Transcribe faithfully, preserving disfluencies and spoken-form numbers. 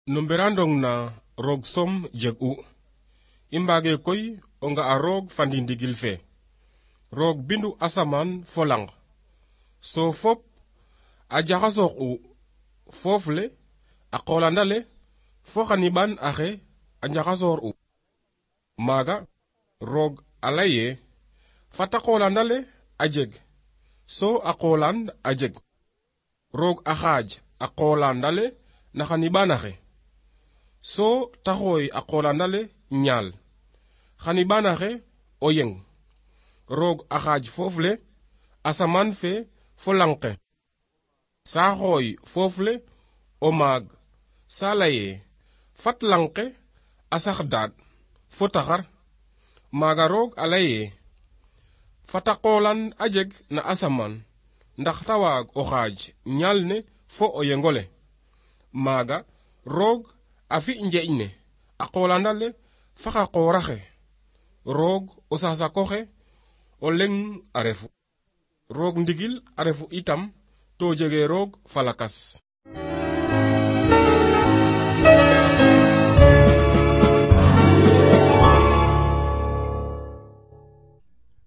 no mberandong na roog som jeg u i mbage koy o nga a roog fandi ndigil fe roog bindu asaman fo lang so fop a jaxasoox u foof le a qolandale fo xaniban axe a njaxasoor u maaga roog a leye fata qolandale a jeg so a qoland a jeg roog a xaaj a qolandale na xanibanaxe so taxoy a qolandale ñaal xanibanaxe o yeng roog a xaaj foof le asaman fe fo langke sa xooy foof le o maag sa laye fat langke a sax daad fo taxar maaga roog a laye fata qoland a jeg na asaman ndax ta waag o xaaj ñaal ne fo o yengole maaga roog a fi njeeñ ne a qolandale fa xa qooraxe roog o sasakoxe o leng a refu roog ndigil a refu itam to jege roog falakas